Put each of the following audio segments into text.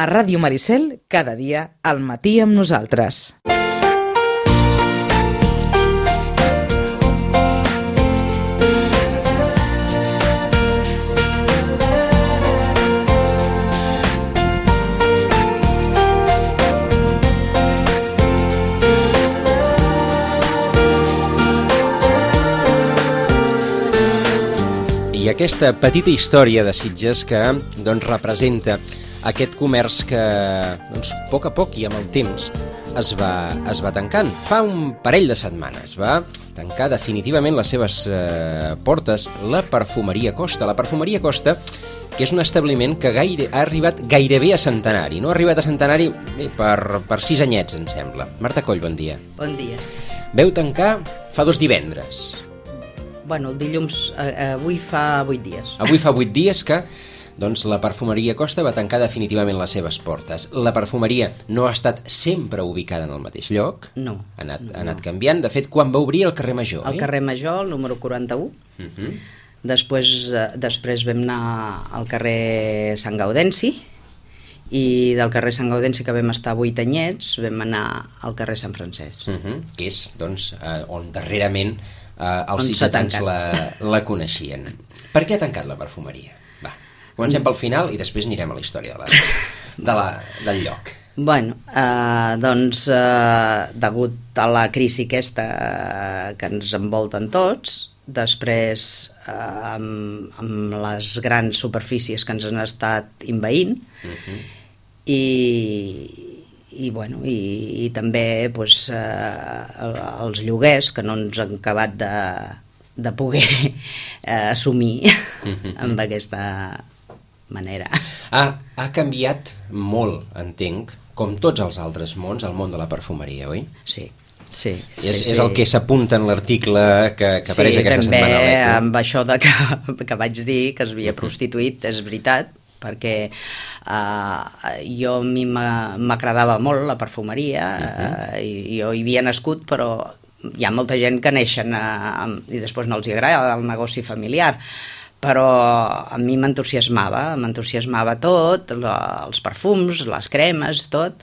A Ràdio Maricel, cada dia, al matí amb nosaltres. I aquesta petita història de Sitges que representa aquest comerç que a poc i amb el temps es va tancant. Fa un parell de setmanes va tancar definitivament les seves portes la Perfumeria Costa. La Perfumeria Costa, que és un establiment que ha arribat gairebé a centenari. No ha arribat a centenari per 6 anyets, em sembla. Marta Coll, bon dia. Bon dia. Veu tancar fa 2 divendres. Bueno, el dilluns, avui fa 8 dies. Avui fa 8 dies que la Perfumeria Costa va tancar definitivament les seves portes. La perfumeria no ha estat sempre ubicada en el mateix lloc. No. Ha anat canviant. De fet, quan va obrir el carrer Major, El carrer Major, el número 41. Després vam anar al carrer Sant Gaudenci, i del carrer Sant Gaudenci, que vam estar 8 anyets, vam anar al carrer Sant Francesc. Que és, on darrerament els sitgetans la coneixien. Per què ha tancat la perfumeria? Va, comencem pel final i després anirem a la història del lloc. Bueno, degut a la crisi aquesta que ens envolten tots, després amb les grans superfícies que ens han estat invaint, i també els lloguers que no ens han acabat de poder assumir amb aquesta manera. Ha canviat molt, entenc, com tots els altres mons, el món de la perfumeria, oi? Sí. És el que s'apunta en l'article que apareix aquesta setmana a l'Eco. Sí, amb això que vaig dir que es havia prostituït, és veritat, perquè a mi m'agradava molt la perfumeria, jo hi havia nascut, però hi ha molta gent que neixen i després no els agrada el negoci familiar, però a mi m'entusiasmava tot, els perfums, les cremes, tot,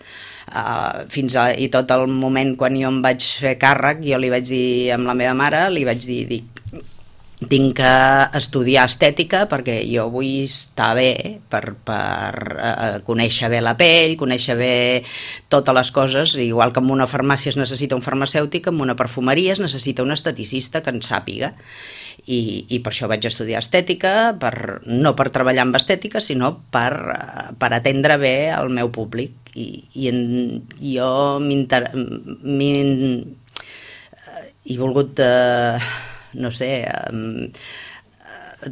i tot el moment quan jo em vaig fer càrrec, jo li vaig dir amb la meva mare, li vaig dir, tinc que estudiar estètica perquè jo vull estar bé per conèixer bé la pell, conèixer bé totes les coses, igual que en una farmàcia es necessita un farmacèutic, en una perfumeria es necessita un esteticista que en sàpiga, i per això vaig estudiar estètica, no per treballar amb estètica, sinó per atendre bé el meu públic, i jo he volgut no sé,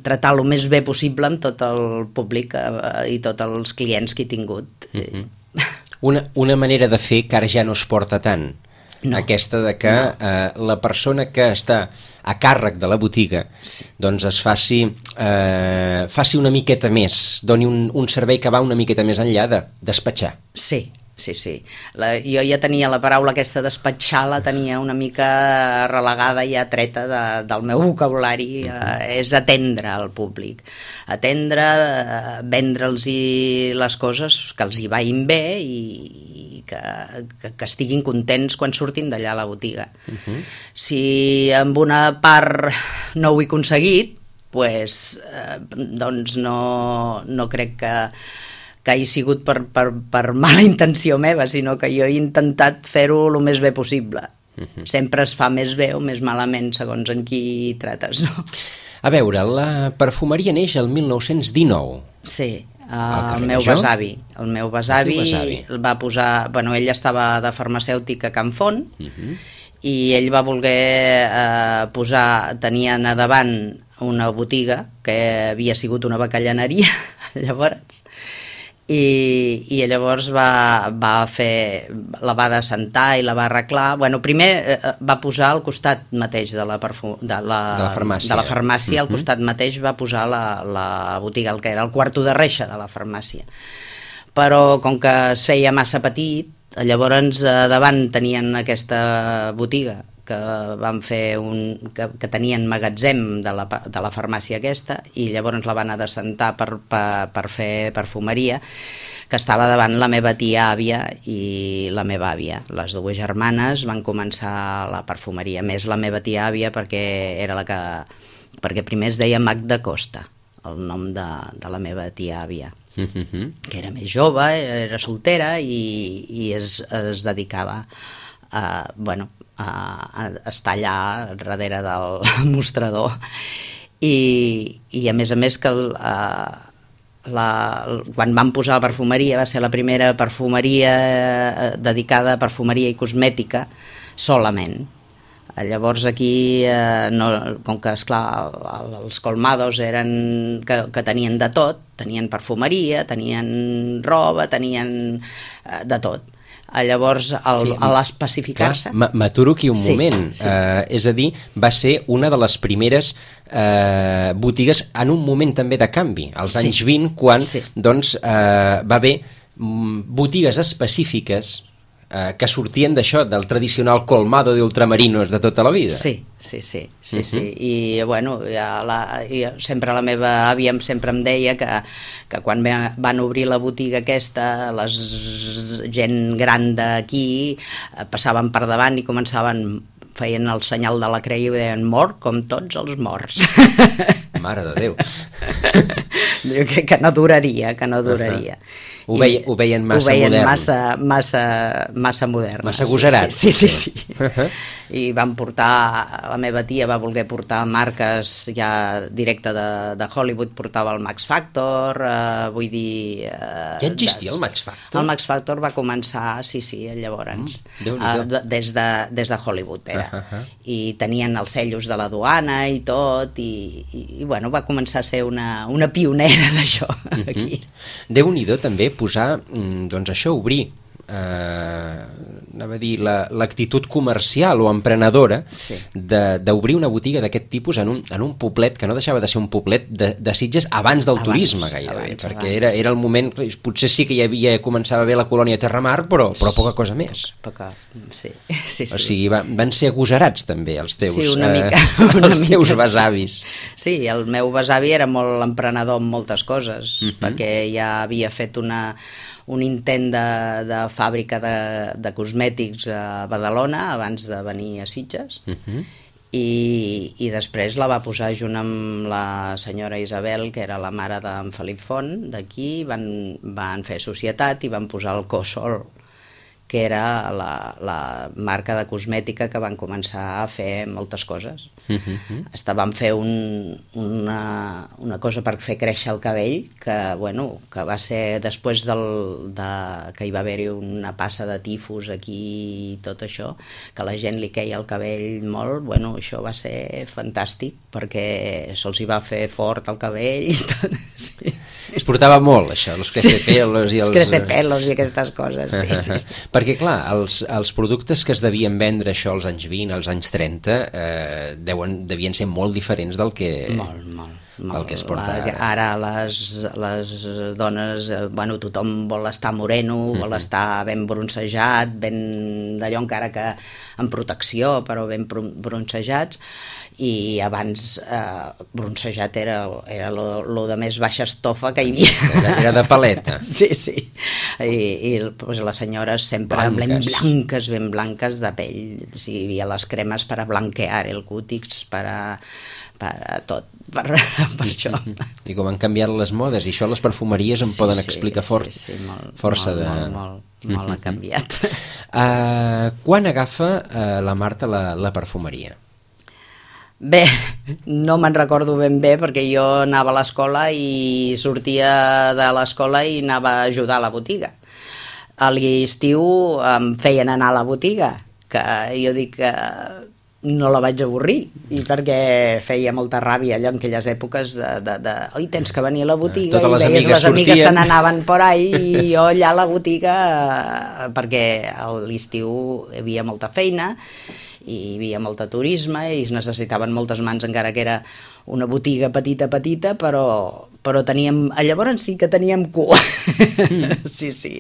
tratar el més bé possible amb tot el públic i tots els clients que he tingut. Una manera de fer que ara ja no es porta tant, aquesta de que la persona que està a càrrec de la botiga es faci una miqueta més, doni un servei que va una miqueta més enllà de despatxar. Sí. Jo ja tenia la paraula aquesta despatxar, la tenia una mica relegada, ja treta del meu vocabulari, és atendre al públic, vendre'ls les coses que els hi vagin bé i que estiguin contents quan surtin d'allà a la botiga. Si amb una part no ho he aconseguit, doncs no crec que hagi sigut per mala intenció meva, sinó que jo he intentat fer-ho el més bé possible. Sempre es fa més bé o més malament, segons en qui trates, no? A veure, la perfumeria neix el 1919. Sí, el meu besavi. El meu besavi va posar... Bueno, ell estava de farmacèutica a Can Font, i ell va voler posar... Tenien a davant una botiga que havia sigut una bacallaneria, llavors... I llavors la va descentar i la va arreglar. Bueno, primer va posar al costat mateix de la farmàcia, al costat mateix va posar la botiga, el que era el quarto de reixa de la farmàcia. Però com que es feia massa petit, llavors davant tenien aquesta botiga que van fer que tenien magatzem de la farmàcia aquesta, i llavors la van adescentar per fer perfumeria, que estava davant la meva tia àvia i la meva àvia. Les dues germanes van començar la perfumeria, més la meva tia àvia perquè primer es deia Magda Costa, el nom de la meva tia àvia, que era més jove, era soltera i es dedicava a estar allà darrere del mostrador i a més que quan van posar la perfumeria va ser la primera perfumeria dedicada a perfumeria i cosmètica solament. Llavors aquí, com que esclar els colmados eren que tenien de tot, tenien perfumeria, tenien roba, tenien de tot. Llavors, a l'especificar-se... M'aturo aquí un moment. Sí. És a dir, va ser una de les primeres botigues en un moment també de canvi, als anys 20, quan va haver botigues específiques que sortien d'això, del tradicional colmado de ultramarinos de tota la vida. Sí. I bueno, sempre la meva àvia sempre em deia que quan van obrir la botiga aquesta, la gent gran d'aquí passaven per davant i feien el senyal de la creu i deien mort com tots els morts. Mare de Déu. Diu que no duraria. Ho veien massa modern. Massa modern. Massa agosarats. Sí. I van portar, la meva tia va voler portar marques ja directe de Hollywood, portava el Max Factor, vull dir... Ja existia el Max Factor? El Max Factor va començar, llavors, des de Hollywood era. I tenien els sellos de la duana i tot, i bueno, va començar a ser una pionera d'això aquí. Déu-n'hi-do també posar, doncs això, obrir anava a dir l'actitud comercial o emprenedora d'obrir una botiga d'aquest tipus en un poblet que no deixava de ser un poblet de Sitges abans del turisme gairebé, perquè era el moment, potser sí que començava bé la colònia Terramar, però poca cosa més. Sí. O sigui, van ser agosarats també els teus teus besavis. Sí, el meu besavi era molt emprenedor en moltes coses, perquè ja havia fet un intent de fàbrica de cosmètics a Badalona abans de venir a Sitges i després la va posar junt amb la senyora Isabel, que era la mare d'en Felip Font d'aquí, van fer societat i van posar el Cosol, que era la marca de cosmètica que van començar a fer moltes coses. Van fer una cosa per fer créixer el cabell que va ser després que hi va haver-hi una passa de tifus aquí i tot això, que a la gent li queia el cabell molt, això va ser fantàstic perquè se'ls hi va fer fort el cabell i tot, sí. Es portava molt, això, els crecepelos i els... crecepelos i aquestes coses, sí. Perquè, clar, els productes que es devien vendre això als anys 20, als anys 30, devien ser molt diferents del que... el que es porta ara les dones, tothom vol estar moreno, vol estar ben bronzejat, ben d'allò encara que en protecció, però ben bronzejats, i abans bronzejat era lo de més baixa estofa que hi havia. Era de paleta. Sí. I les senyores sempre ben blanques de pell. Hi havia les cremes per a blanquear el cútix, per a tot, per això. I com han canviat les modes, i això les perfumeries en poden explicar força de... Molt ha canviat. Quan agafa la Marta la perfumeria? Bé, no me'n recordo ben bé perquè jo anava a l'escola i sortia de l'escola i anava a ajudar a la botiga. A l'estiu em feien anar a la botiga, que jo dic que no la vaig avorrir, i perquè feia molta ràbia allò en aquelles èpoques oi, tens que venir a la botiga, i veies les amigues se n'anaven por ahí i jo allà a la botiga, perquè a l'estiu hi havia molta feina i hi havia molt turisme i es necessitaven moltes mans, encara que era una botiga petita, però teníem, llavors sí que teníem cua. Sí.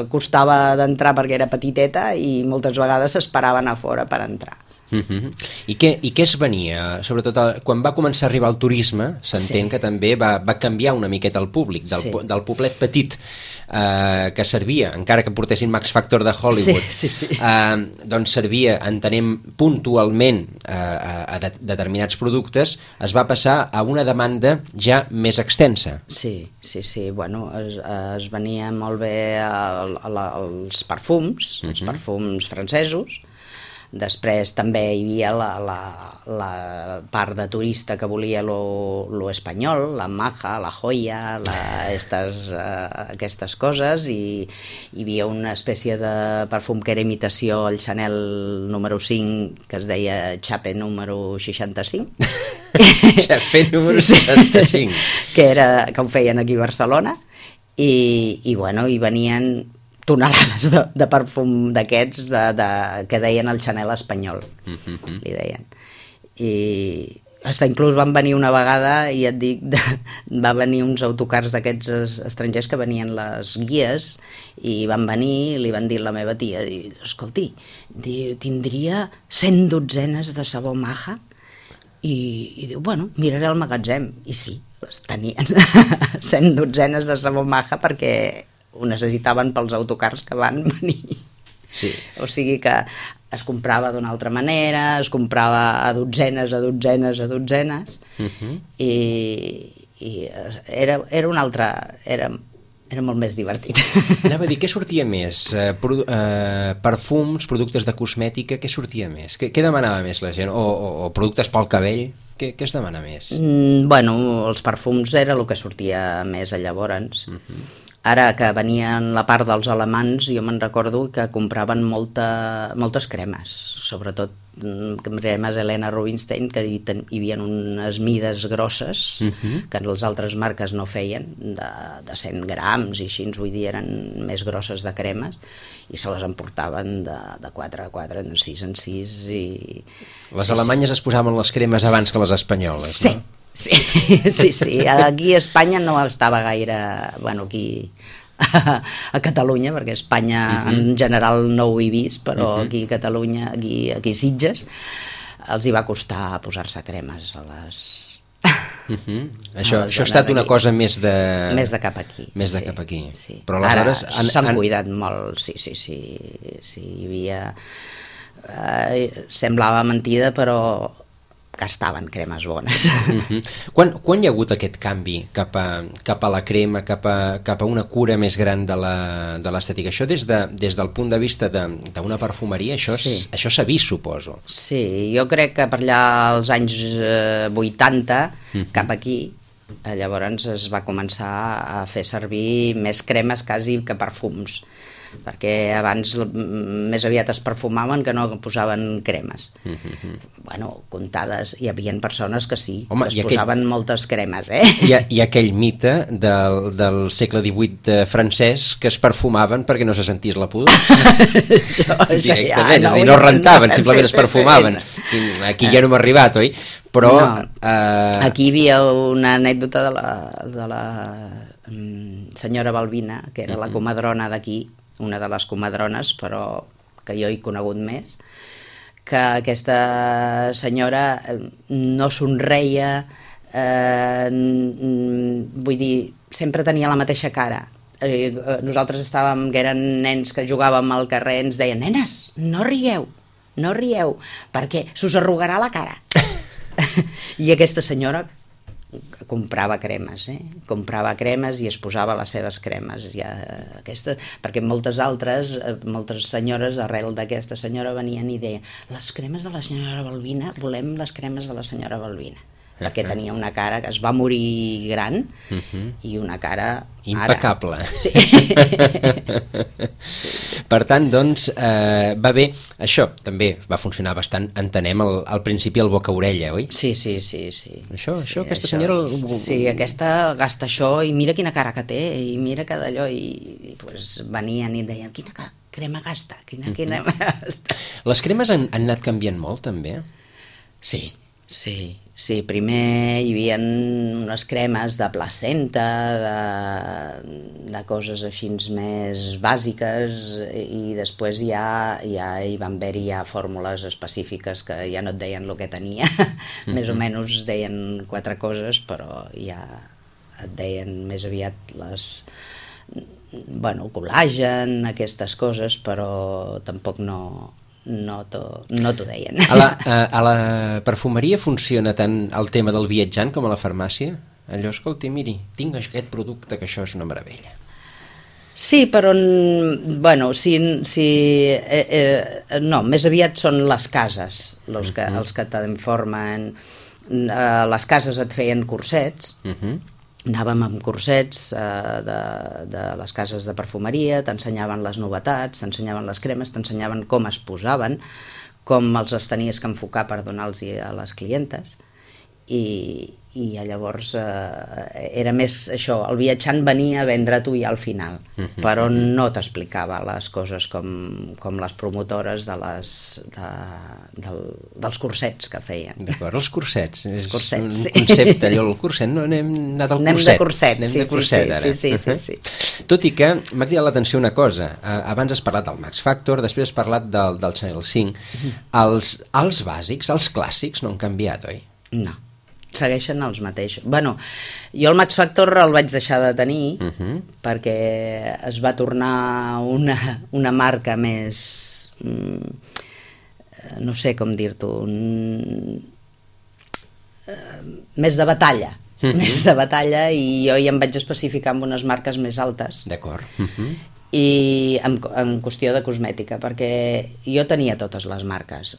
Costava d'entrar perquè era petiteta i moltes vegades s'esperaven a fora per entrar. I què es venia? Sobretot quan va començar a arribar el turisme, s'entén que també va canviar una miqueta el públic, del poblet petit que servia, encara que portessin Max Factor de Hollywood, doncs servia, entenem, puntualment a determinats productes, es va passar a una demanda ja més extensa. Sí, bueno, es venia molt bé els perfums francesos. Després també hi havia la part de turista que volia lo espanyol, la Maja, la Joya, aquestes coses, i hi havia una espècie de perfum que era imitació al Chanel número 5, que es deia Chape número 65. Chape número 65. Que ho feien aquí a Barcelona, i bueno, hi venien tonelades de perfum d'aquests que deien el Chanel espanyol, li deien. I fins inclús van venir una vegada, i et dic, va venir uns autocars d'aquests estrangers que venien les guies, i van venir i li van dir a la meva tia, escolti, tindria 100 dotzenes de sabó Maja? I diu, bueno, miraré al magatzem. I sí, tenien 100 dotzenes de sabó Maja perquè ho necessitaven pels autocars que van venir. Sí. O sigui que es comprava d'una altra manera, es comprava a dotzenes, i era un altre... Era molt més divertit. Anava a dir, què sortia més? Perfums, productes de cosmètica, què sortia més? Què demanava més la gent? O productes pel cabell? Què es demana més? Bueno, els perfums era el que sortia més llavors. Ara que venien la part dels alemans, jo me'n recordo que compraven moltes cremes, sobretot cremes Helena Rubinstein, que hi havia unes mides grosses que les altres marques no feien, de 100 grams i així, vull dir, eren més grosses de cremes, i se les emportaven de 4 a 4, de 6 en 6. Les alemanyes es posaven les cremes abans que les espanyoles, no? Sí. Aquí a Espanya no estava gaire... Bueno, aquí a Catalunya, perquè a Espanya en general no ho he vist, però aquí a Catalunya, aquí a Sitges, els hi va costar posar-se cremes a les... Això ha estat una cosa més de... Més de cap aquí. Més de cap aquí. Sí. Però aleshores... Ara s'han cuidat molt, sí. Hi havia... semblava mentida, però gastaven cremes bones. Quan hi ha hagut aquest canvi cap a la crema, cap a una cura més gran de l'estètica? Això des del punt de vista d'una perfumeria, això s'ha vist, suposo. Sí, jo crec que per allà als anys 80, cap aquí, llavors es va començar a fer servir més cremes quasi que perfums, perquè abans més aviat es perfumaven que no posaven cremes. Bueno, comptades, hi havia persones que sí, home, es posaven moltes cremes, Hi ha aquell mite del segle XVIII francès que es perfumaven perquè no se sentís la pudor. Directament, és a dir, no rentaven, simplement es perfumaven. Aquí ja no hem arribat, oi? Però... Aquí hi havia una anècdota de la senyora Balbina, que era la comadrona d'aquí, una de les comadrones, però que jo he conegut més, que aquesta senyora no somreia, vull dir, sempre tenia la mateixa cara. Nosaltres estàvem, que eren nens que jugàvem al carrer, ens deien, nenes, no rieu, perquè s'us arrugarà la cara. I aquesta senyora comprava cremes, i es posava les seves cremes, perquè moltes senyores arrel d'aquesta senyora venien i deien, les cremes de la senyora Balbina, volem les cremes de la senyora Balbina, perquè tenia una cara que es va morir gran i una cara impecable. Sí. Per tant, doncs, va bé, això també va funcionar bastant, entenem, al principi el boca-orella, oi? Sí. Aquesta senyora... Sí, aquesta gasta això i mira quina cara que té, i mira que d'allò, i pues venien i deien, quina crema gasta, quina crema gasta. Les cremes han anat canviant molt, també? Sí, Sí, sí, primer hi havia unes cremes de placenta, de coses així més bàsiques, i després ja hi van haver-hi ja fórmules específiques que ja no et deien el que tenia, més o menys deien 4 coses, però ja et deien més aviat col·làgen, aquestes coses, però tampoc no t'ho deien. A la perfumeria funciona tant el tema del viatjant com a la farmàcia? Allò, escolti, miri, tinc aquest producte que això és una meravella. Sí, però no, més aviat són les cases els que t'informen. Les cases et feien cursets, anàvem amb cursets de les cases de perfumeria, t'ensenyaven les novetats, t'ensenyaven les cremes, t'ensenyaven com es posaven, com els tenies que enfocar per donar-los a les clientes, i llavors era més això, el viatjant venia a vendre tu ja al final, però no t'explicava les coses com les promotores dels cursets que feien. D'acord, els cursets. És un sí. concepte, allò, el curset, no anem anat al curset. Anem de curset, ara. Sí. Tot i que m'ha cridat l'atenció una cosa, abans has parlat del Max Factor, després has parlat del Chanel 5, els bàsics, els clàssics no han canviat, oi? No, segueixen els mateixos. Bueno, jo el Max Factor el vaig deixar de tenir perquè es va tornar una marca més, no sé com dir-t'ho, més de batalla. Més de batalla, i jo ja em vaig especificar amb unes marques més altes. D'acord. I en qüestió de cosmètica, perquè jo tenia totes les marques.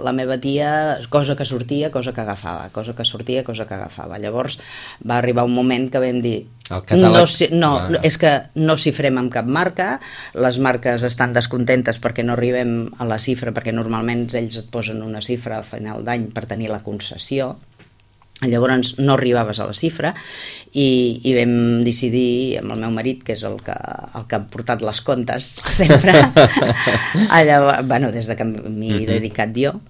La meva tia, cosa que sortia, cosa que agafava, cosa que sortia, cosa que agafava. Llavors va arribar un moment que vam dir és que no xifrem amb cap marca, les marques estan descontentes perquè no arribem a la xifra, perquè normalment ells et posen una xifra a final d'any per tenir la concessió. Llavors no arribaves a la xifra, i vam decidir amb el meu marit, que és el que ha portat les comptes sempre, des de que m'hi he dedicat jo.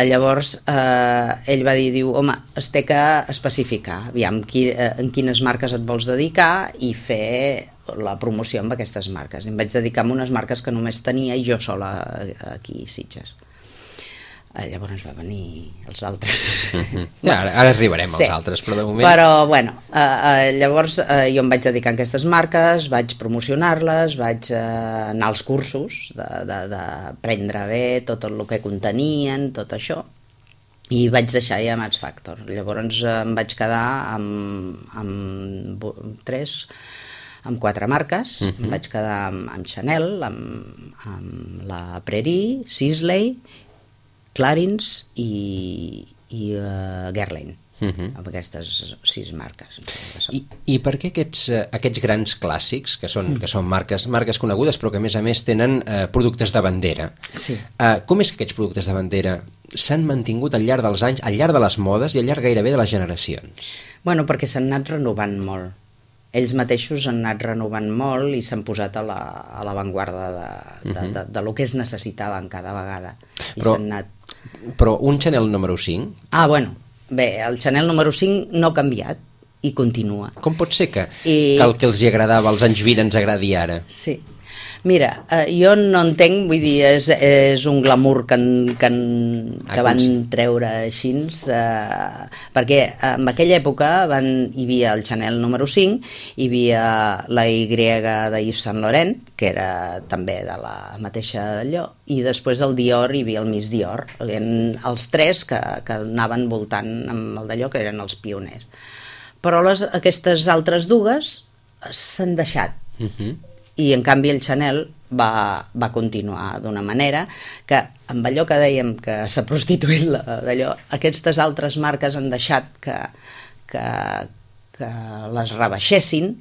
Llavors ell va dir, home, es té que especificar aviam en quines marques et vols dedicar i fer la promoció amb aquestes marques. Em vaig dedicar a unes marques que només tenia jo sola aquí a Sitges. Llavors va venir els altres. Ara arribarem als altres, però de moment... Però, llavors jo em vaig dedicar a aquestes marques, vaig promocionar-les, vaig anar als cursos d'aprendre bé tot el que contenien, tot això, i vaig deixar ja Max Factor. Llavors em vaig quedar amb 4 marques. Em vaig quedar amb Chanel, amb la Prairie, Sisley, Clarins i Guerlain, amb aquestes 6 marques. I per què aquests grans clàssics, que són marques conegudes, però que a més tenen productes de bandera, com és que aquests productes de bandera s'han mantingut al llarg dels anys, al llarg de les modes i al llarg gairebé de les generacions? Bueno, perquè s'han anat renovant molt. Ells mateixos han anat renovant molt i s'han posat a l'avantguarda de lo que es necessitaven cada vegada. Però un Chanel número 5? Bé, el Chanel número 5 no ha canviat i continua. Com pot ser que el que els agradava als anys 20 ens agradi ara? Sí. Mira, jo no entenc, vull dir, és un glamour que van treure així, perquè en aquella època hi havia el Chanel número 5, hi havia la Y de Yves Saint Laurent, que era també de la mateixa d'allò, i després el Dior hi havia el Miss Dior, els 3 que anaven voltant amb el d'allò, que eren els pioners. Però aquestes altres dues s'han deixat. I en canvi el Chanel va continuar d'una manera que, amb allò que dèiem que s'ha prostituït d'allò, aquestes altres marques han deixat que les rebaixessin,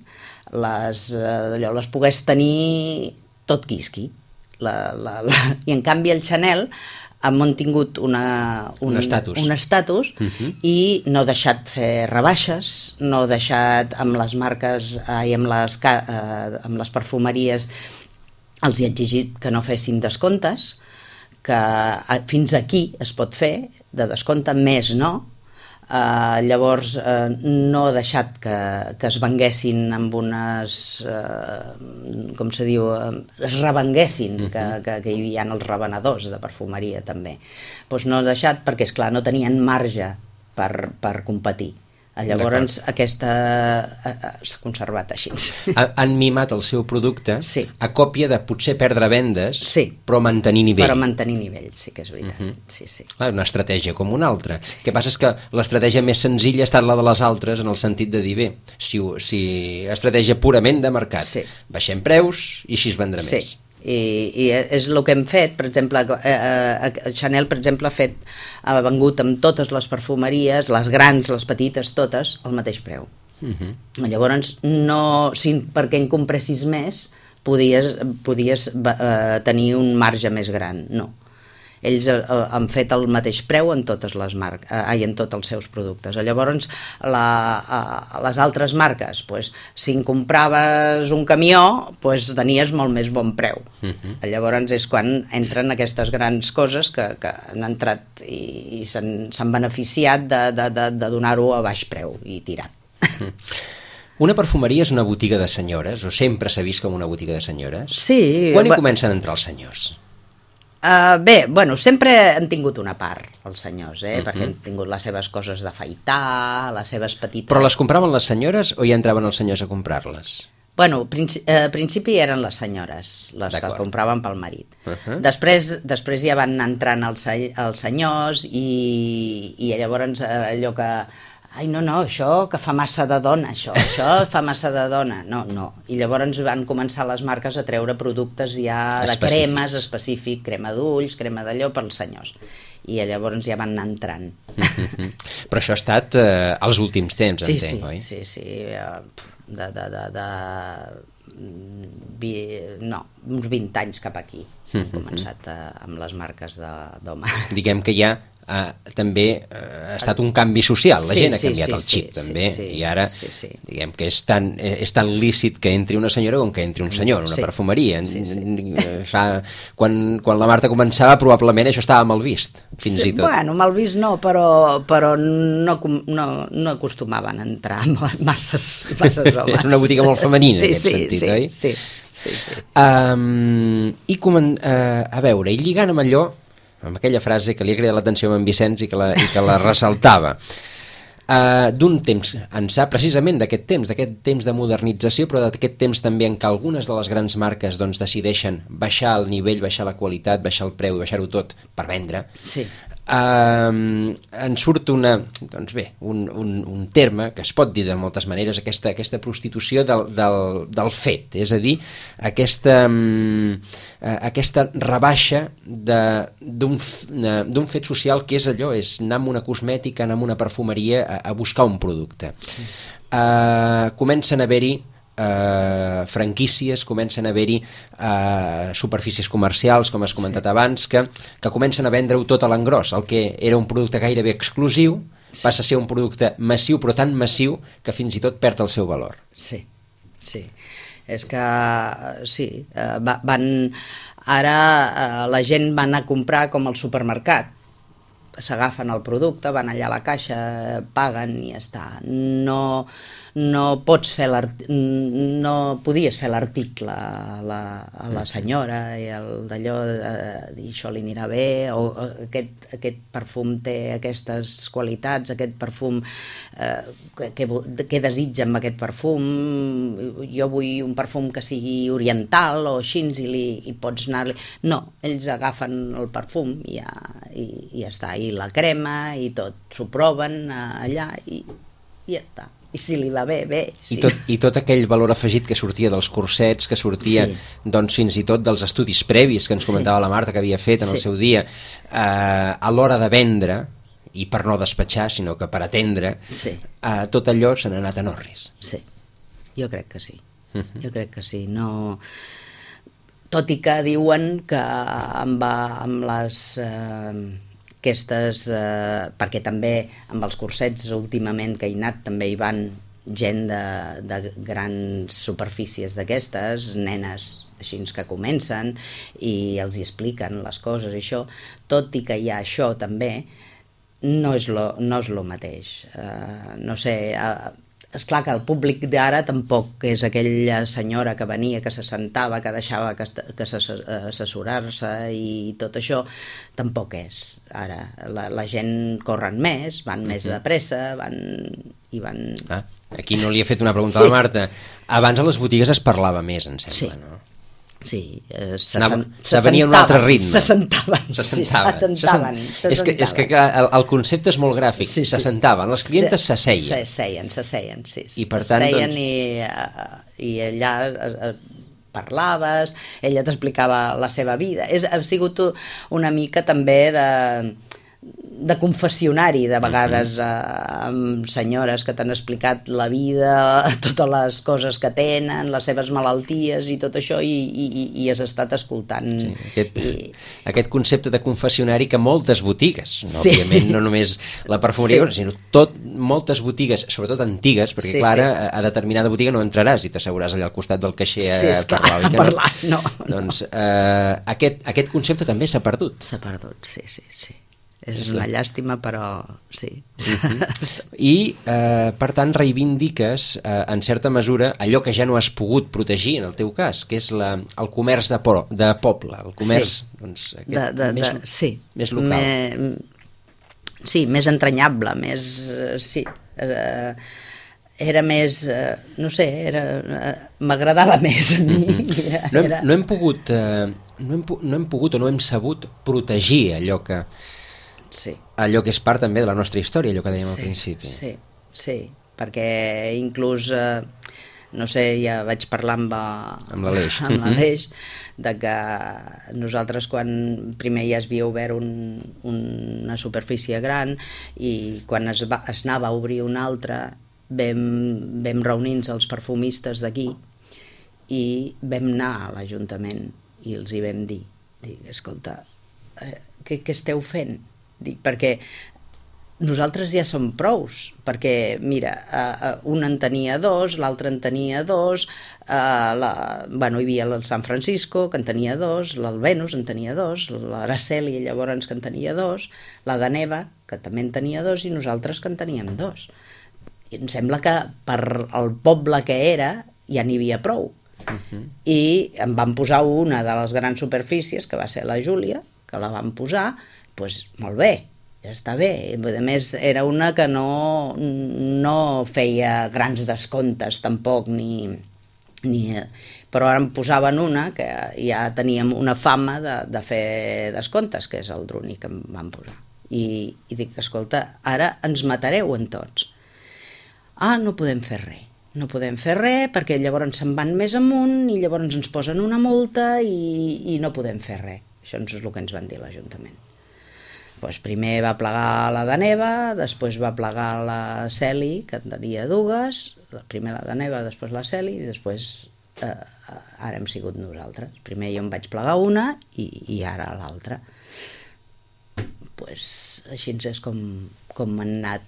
les pogués tenir tot quisqui. I en canvi el Chanel ha mantingut un estatus i no ha deixat fer rebaixes, no ha deixat amb les marques i amb les perfumeries els hi ha exigit que no fessin descomptes, que fins aquí es pot fer, de descompte més no. Llavors no ha deixat que es venguessin amb unes com se diu, es revenguessin, que hi havia els revenedors de perfumeria també, doncs no ha deixat perquè és clar no tenien marge per competir. Llavors aquesta s'ha conservat així. Han mimat el seu producte a còpia de potser perdre vendes, però mantenir nivell. Però mantenir nivell, sí que és veritat. Sí. Una estratègia com una altra. El que passa és que l'estratègia més senzilla ha estat la de les altres en el sentit de dir, bé, si estratègia purament de mercat, baixem preus i així es vendrà més. I és el que hem fet, per exemple, Chanel, per exemple, ha vengut amb totes les perfumeries, les grans, les petites, totes, al mateix preu. Llavors, perquè en compressis més, podies tenir un marge més gran, no. Ells han fet el mateix preu en totes les marques, en tots els seus productes. Llavors, les altres marques, si en compraves un camió, tenies molt més bon preu. Llavors és quan entren aquestes grans coses que han entrat i s'han beneficiat de donar-ho a baix preu i tirat. Una perfumeria és una botiga de senyores, o sempre s'ha vist com una botiga de senyores? Sí. Quan hi comencen a entrar els senyors? Bé, sempre han tingut una part, els senyors, perquè han tingut les seves coses d'afaitar, les seves petites... Però les compraven les senyores o hi entraven els senyors a comprar-les? Bueno, al principi eren les senyores, les que compraven pel marit. Després ja van entrant els senyors i llavors allò que... Ai, no, això que fa massa de dona, això fa massa de dona. No. I llavors van començar les marques a treure productes ja de cremes específic, crema d'ulls, crema d'allò pels senyors. I llavors ja van anar entrant. Però això ha estat als últims temps, entenc, oi? Sí. Uns 20 anys cap aquí hem començat amb les marques d'home. Diguem que ja també ha estat un canvi social, la gent ha canviat el xip també, i ara diguem que és tan lícit que entri una senyora com que entri un senyor en una perfumeria. Quan la Marta començava probablement això estava mal vist, fins i tot. Bueno, mal vist no, però no acostumaven a entrar masses homes. Era una botiga molt femenina en aquest sentit, oi? Sí. A veure, i lligant amb allò, amb aquella frase que li ha cridat l'atenció a en Vicenç i que la ressaltava, d'un temps ençà, precisament d'aquest temps de modernització, però d'aquest temps també en què algunes de les grans marques decideixen baixar el nivell, baixar la qualitat, baixar el preu i baixar-ho tot per vendre, en surt un terme que es pot dir de moltes maneres, aquesta prostitució del fet, és a dir, aquesta rebaixa d'un fet social que és allò, és anar amb una cosmètica, anar amb una perfumeria a buscar un producte. Comencen a haver-hi franquícies, comencen a haver-hi superfícies comercials, com has comentat abans, que comencen a vendre-ho tot a l'engròs. El que era un producte gairebé exclusiu passa a ser un producte massiu, però tan massiu que fins i tot perd el seu valor. Sí. És que ara la gent va anar a comprar com al supermercat, s'agafen el producte, van allà a la caixa, paguen i ja està. No podies fer l'article a la senyora i d'allò dir això li anirà bé, o aquest perfum té aquestes qualitats, aquest perfum què desitja amb aquest perfum, jo vull un perfum que sigui oriental o així, i pots anar-li... No, ells agafen el perfum i ja està, i la crema i tot, s'ho proven allà i ja està. I si li va bé, bé. Sí. I tot aquell valor afegit que sortia dels cursets, que sortia fins i tot dels estudis previs que ens comentava la Marta que havia fet en el seu dia, a l'hora de vendre, i per no despatxar, sinó que per atendre, tot allò se n'ha anat en orris. Sí, jo crec que sí. Jo crec que sí. No... Tot i que diuen que amb les... perquè també amb els cursets últimament que he anat també hi van gent de grans superfícies d'aquestes, nenes així que comencen i els hi expliquen les coses i això, tot i que hi ha això també, no és lo mateix. No sé, és clar que el públic d'ara tampoc és aquella senyora que venia, que se sentava, que deixava que assessorar-se i tot això, tampoc és. Ara la gent corren més, van més de pressa, van... Aquí no li he fet una pregunta a la Marta. Abans a les botigues es parlava més, em sembla, no? Sí, se venia un altre ritme. Se sentaven. És que el concepte és molt gràfic. Se sentaven, les clientes s'asseien. Se seien, sí. I per tant, i allà parlaves, ella t'explicava la seva vida. Ha sigut una mica també de confessionari, de vegades, amb senyores que t'han explicat la vida, totes les coses que tenen, les seves malalties i tot això, i has estat escoltant. Sí, aquest concepte de confessionari que moltes botigues, òbviament no només la perfumeria, sinó moltes botigues, sobretot antigues, perquè clar, a determinada botiga no entraràs i t'asseguràs allà al costat del caixer a parlar. Doncs aquest concepte també s'ha perdut. S'ha perdut, sí. És una llàstima, però sí. I, per tant, reivindiques, en certa mesura, allò que ja no has pogut protegir, en el teu cas, que és el comerç de poble, el comerç més local. Sí, més entranyable, més... Sí, era més... No sé, m'agradava més a mi. No hem pogut o no hem sabut protegir allò que és part també de la nostra història, allò que dèiem al principi. Sí, perquè inclús, no sé, ja vaig parlar amb l'Aleix, de que nosaltres quan primer ja es havia obert una superfície gran i quan es anava a obrir una altra vam reunir-nos els perfumistes d'aquí i vam anar a l'Ajuntament i els hi vam dir, escolta, què esteu fent? Perquè nosaltres ja som prous, perquè mira, un en tenia dos, l'altre en tenia dos, hi havia el San Francisco que en tenia dos, l'Alvenus en tenia dos, l'Araceli llavors que en tenia dos, la Daneva que també en tenia dos i nosaltres que en teníem dos. I em sembla que per el poble que era ja n'hi havia prou. I em van posar una de les grans superfícies, que va ser la Júlia, que la van posar, doncs molt bé, ja està bé. A més, era una que no feia grans descomptes tampoc, però ara em posaven una que ja teníem una fama de fer descomptes, que és el Druni que em van posar. I dic, escolta, ara ens matareu en tots. No podem fer res. No podem fer res perquè llavors se'n van més amunt i llavors ens posen una multa i no podem fer res. Això és el que ens van dir a l'Ajuntament. Primer va plegar la Daneva, després va plegar la Celi, que en tenia dues, primer la Daneva, després la Celi, i després ara hem sigut nosaltres. Primer jo em vaig plegar una i ara l'altra. Així és com han anat.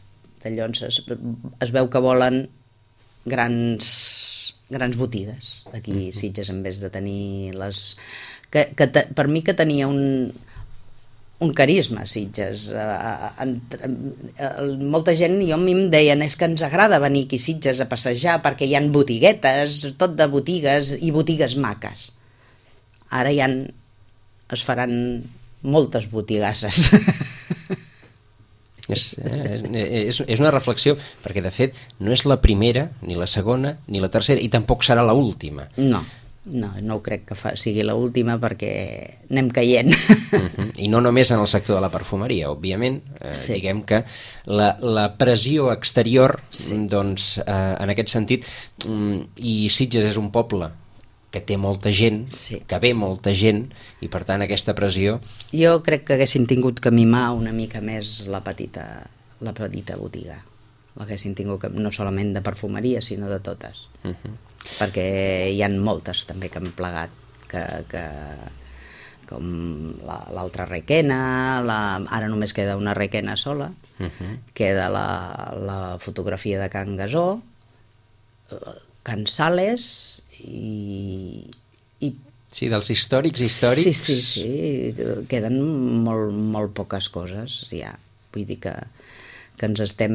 Llavors es veu que volen grans botigues aquí a Sitges, en vez de tenir les... Per mi que tenia un carisma, Sitges. Molta gent, a mi em deien, és que ens agrada venir aquí a Sitges a passejar perquè hi ha botiguetes, tot de botigues i botigues maques. Ara es faran moltes botigasses. És una reflexió, perquè de fet no és la primera, ni la segona, ni la tercera, i tampoc serà l'última. No ho crec que sigui l'última perquè anem caient. I no només en el sector de la perfumeria, òbviament. Diguem que la pressió exterior, doncs, en aquest sentit, i Sitges és un poble que té molta gent, que ve molta gent, i per tant aquesta pressió... Jo crec que haguessin tingut que mimar una mica més la petita botiga. L'haguessin tingut no solament de perfumeria, sinó de totes. Perquè hi ha moltes també que han plegat, com l'altra Requena, ara només queda una Requena sola, queda la fotografia de Can Gasó, Can Sales i Sí, dels històrics. Sí, queden molt poques coses ja, vull dir que ens estem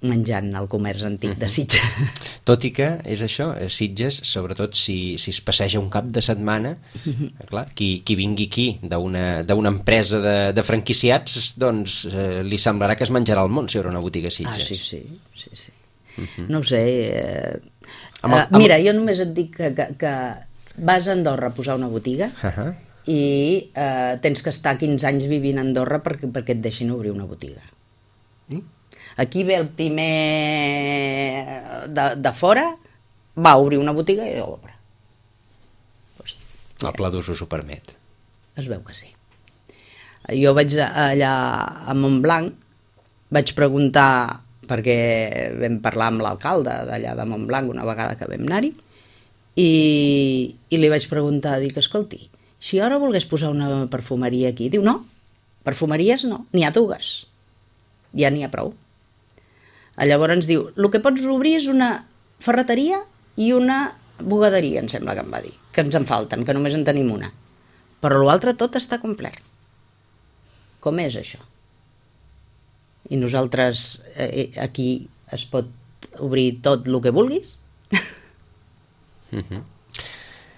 menjant el comerç antic de Sitges. Tot i que és això, Sitges, sobretot si es passeja un cap de setmana, clar, qui vingui aquí d'una empresa de franquiciats, doncs li semblarà que es menjarà el món si hi haurà una botiga a Sitges. Sí. No ho sé. Mira, jo només et dic que vas a Andorra a posar una botiga i tens que estar 15 anys vivint a Andorra perquè et deixin obrir una botiga. Aquí ve el primer de fora, va obrir una botiga i obre. El pla d'ús ho permet. Es veu que sí. Jo vaig allà a Montblanc, vaig preguntar, perquè vam parlar amb l'alcalde d'allà de Montblanc una vegada que vam anar-hi, i li vaig preguntar, dic, escolti, si ara volgués posar una perfumeria aquí, diu, no, perfumeries no, n'hi ha dues, ja n'hi ha prou. Llavors ens diu, el que pots obrir és una ferreteria i una bugaderia, em sembla que em va dir, que ens en falten, que només en tenim una. Però l'altre tot està complet. Com és això? I nosaltres aquí es pot obrir tot el que vulguis?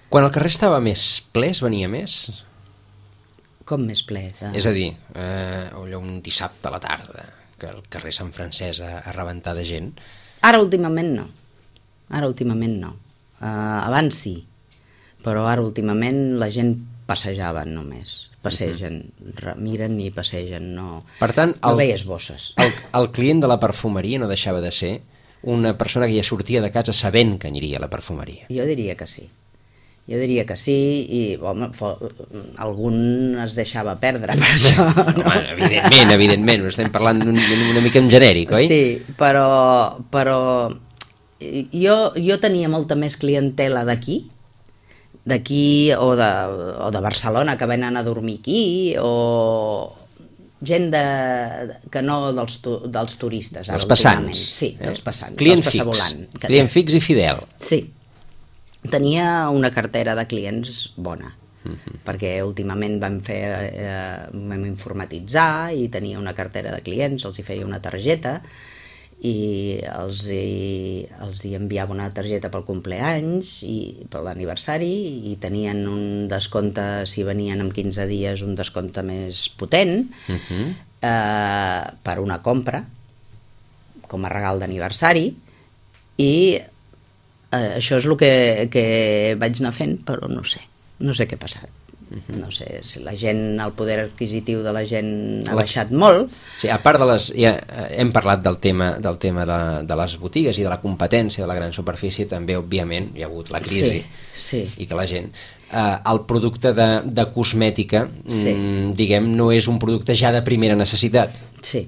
Quan el carrer estava més ple, es venia més? Com més ple? És a dir, allò un dissabte a la tarda, que el carrer Sant Francesc a rebentar de gent. Ara últimament no. Abans sí, però ara últimament la gent passejava només. Passegen, miren i passegen, no, per tant, no veies bosses. El client de la perfumeria no deixava de ser una persona que ja sortia de casa sabent que aniria a la perfumeria. Jo diria que sí. I home, algun es deixava perdre per això. No? Home, evidentment, estem parlant una mica en genèric, oi? Sí, però jo tenia molta més clientela d'aquí o de Barcelona que venen a dormir aquí, o gent que no dels turistes. Els passants. Sí, dels passants. Client fix i fidel. Sí. Tenia una cartera de clients bona, perquè últimament vam informatitzar i tenia una cartera de clients, els hi feia una targeta i els hi enviava una targeta pel compleanys i per l'aniversari, i tenien un descompte, si venien en 15 dies, un descompte més potent per una compra com a regal d'aniversari, i això és el que vaig anar fent, però no sé què ha passat. No sé si la gent, el poder adquisitiu de la gent ha baixat molt. Sí, a part de ja hem parlat del tema de les botigues i de la competència de la gran superfície, també, òbviament, hi ha hagut la crisi, i que la gent... el producte de cosmètica, diguem, no és un producte ja de primera necessitat. Sí.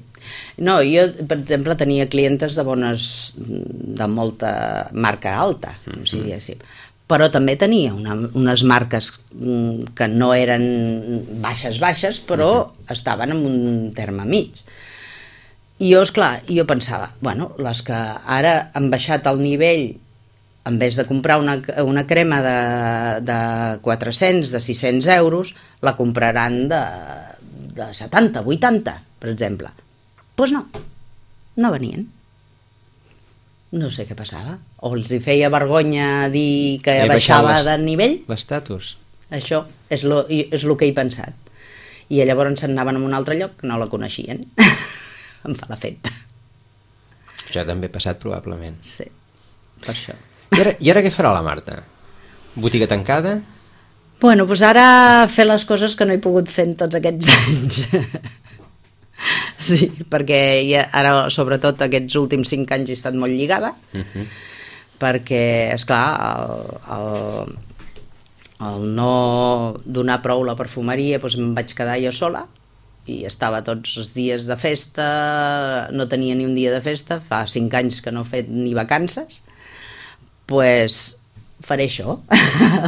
No, jo, per exemple, tenia clientes de molta marca alta, si diguéssim, però també tenia unes marques que no eren baixes, però estaven en un terme mig. I jo pensava, bueno, les que ara han baixat el nivell, en vez de comprar una crema de 400, de 600 euros, la compraran de 70, 80, per exemple. Doncs no venien. No sé què passava. O els hi feia vergonya dir que baixava de nivell. L'estatus. Això és el que he pensat. I llavors se'n anaven a un altre lloc que no la coneixien. Em fa l'efecte. Això també ha passat probablement. Sí, per això. I ara què farà la Marta? Botiga tancada? Bueno, doncs ara fer les coses que no he pogut fer en tots aquests anys. Sí, perquè ara, sobretot aquests últims 5 anys, he estat molt lligada, perquè, esclar, el no donar prou la perfumeria, doncs em vaig quedar jo sola, i estava tots els dies de festa, no tenia ni un dia de festa, fa 5 anys que no he fet ni vacances, doncs faré això,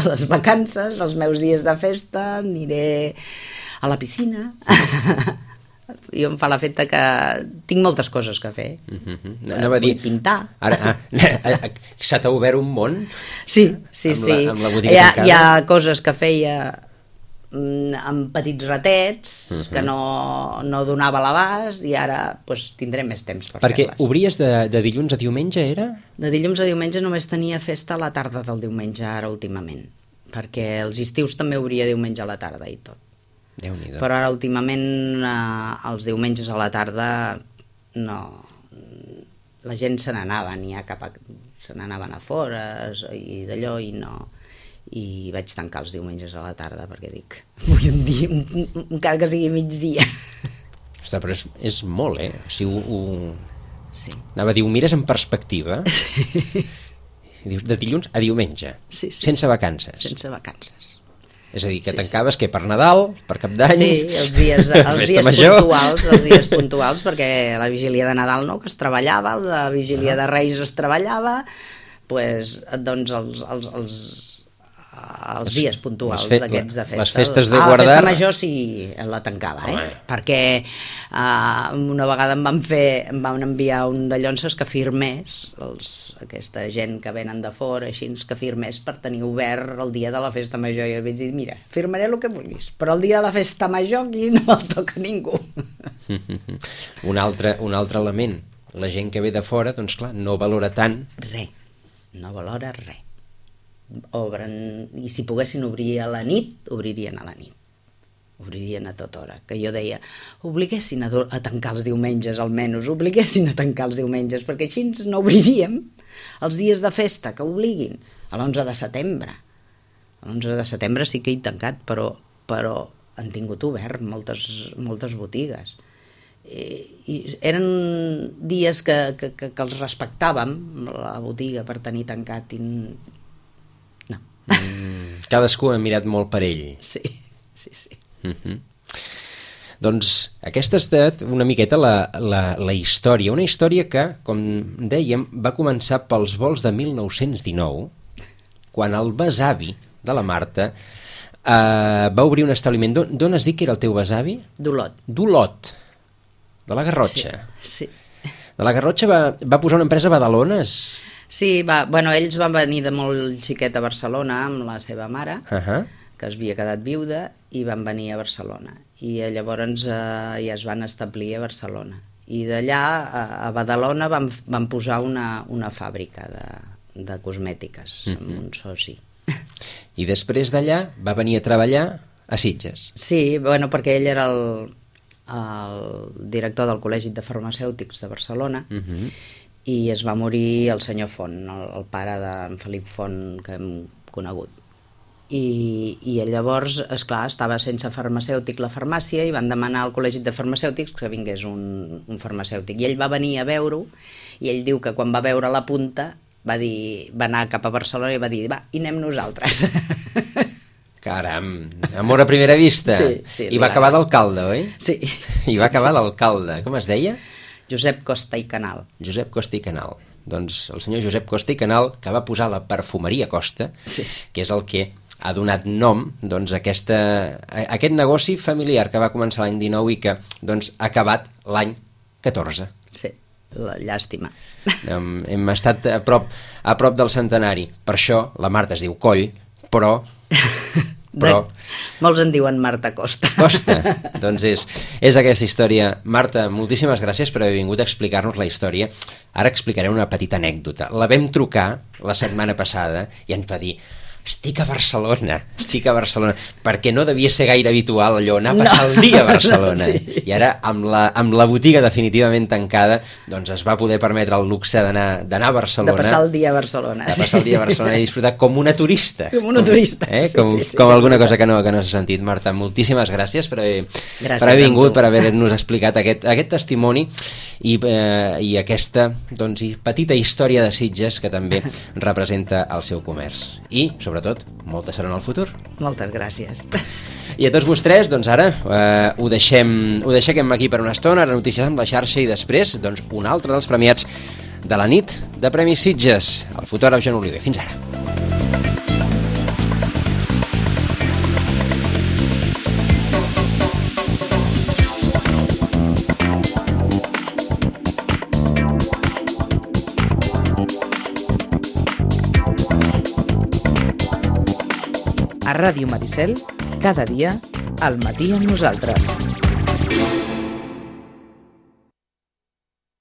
les vacances, els meus dies de festa, aniré a la piscina, Jo em fa l'efecte que tinc moltes coses que fer. Anava a dir... Vull pintar. Ara, se t'ha obert un món? Sí. Amb la botiga tancada? Hi ha coses que feia amb petits ratets que no donava l'abast i ara tindré més temps per fer-les. Perquè obries de dilluns a diumenge, era? De dilluns a diumenge només tenia festa a la tarda del diumenge, ara últimament, perquè els estius també obria diumenge a la tarda i tot. Déu-n'hi-do. Però ara últimament els diumenges a la tarda no, la gent se n'anaven, se n'anaven a fores i d'allò i no, i vaig tancar els diumenges a la tarda perquè dic, vull un dia, encara que sigui migdia. Ostres, però és molt, eh? O sigui, Sí. Anava a dir, ho mires en perspectiva, i dius, de dilluns a diumenge, Sí. sense vacances. Sense vacances. És a dir, que tancaves que per Nadal, per Cap d'Any... Sí, els dies puntuals, perquè la vigília de Nadal no, que es treballava, la vigília de Reis es treballava, doncs els dies puntuals d'aquests de festa. Les festes de guardar... La festa major sí la tancava, perquè una vegada em van enviar un de llonces que firmés, aquesta gent que venen de fora, així, que firmés per tenir obert el dia de la festa major, i els vaig dir, mira, firmaré el que vulguis, però el dia de la festa major aquí no el toca ningú. Un altre element, la gent que ve de fora, doncs clar, no valora tant... No valora res. Obren, i si poguessin obrir a la nit, obririen a la nit, obririen a tota hora, que jo deia, obliguessin a tancar els diumenges almenys, obliguessin a tancar els diumenges, perquè així no obriríem els dies de festa, que obliguin a l'11 de setembre. L'11 de setembre sí que he tancat, però han tingut obert moltes botigues. I eren dies que els respectàvem, la botiga, per tenir tancat, i cadascú ha mirat molt per ell. Sí. Doncs aquesta ha estat una miqueta la història, una història que, com dèiem, va començar pels vols de 1919, quan el besavi de la Marta va obrir un establiment. D'on has dit que era el teu besavi? D'Olot, de la Garrotxa. Sí. De la Garrotxa va posar una empresa a Badalones. Sí, ells van venir de molt xiquet a Barcelona amb la seva mare, que es havia quedat viuda, i van venir a Barcelona. I llavors ja es van establir a Barcelona. I d'allà, a Badalona, van posar una fàbrica de cosmètiques, amb un soci. I després d'allà va venir a treballar a Sitges. Sí, perquè ell era el director del Col·legi de Farmacèutics de Barcelona, i es va morir el senyor Font, el pare d'en Felip Font, que hem conegut. I llavors, esclar, estava sense farmacèutic la farmàcia i van demanar al Col·legi de Farmacèutics que vingués un farmacèutic. I ell va venir a veure-ho, i ell diu que quan va veure la punta va anar cap a Barcelona i va dir, va, i anem nosaltres. Caram, amor a primera vista. Sí. I va acabar d'alcalde, oi? Sí. I va acabar d'alcalde. Com es deia? Josep Costa i Canal. Josep Costa i Canal. Doncs el senyor Josep Costa i Canal, que va posar la perfumeria Costa, que és el que ha donat nom doncs, a aquest negoci familiar que va començar l'any 19 i que doncs, ha acabat l'any 14. Sí, la llàstima. Hem estat a prop del centenari. Per això la Marta es diu Coll, però... Molts en diuen Marta Costa. Doncs és aquesta història. Marta, moltíssimes gràcies per haver vingut a explicar-nos la història. Ara explicaré una petita anècdota. La vam trucar la setmana passada i ens va dir, estic a Barcelona, perquè no devia ser gaire habitual allò, anar a passar el dia a Barcelona. I ara, amb la botiga definitivament tancada, doncs es va poder permetre el luxe d'anar a Barcelona. De passar el dia a Barcelona. I disfrutar com una turista. Com alguna cosa que no s'ha sentit. Marta, moltíssimes gràcies per haver vingut, per haver-nos explicat aquest testimoni i aquesta petita història de Sitges que també representa el seu comerç. I, sobretot, molta sort en el futur. Moltes gràcies. I a tots vostès, doncs ara ho deixem aquí per una estona, ara notícies amb la xarxa i després un altre dels premiats de la nit de Premis Sitges, el fotògraf Joan Oliver. Fins ara. A Ràdio Maricel, cada dia, al matí amb nosaltres.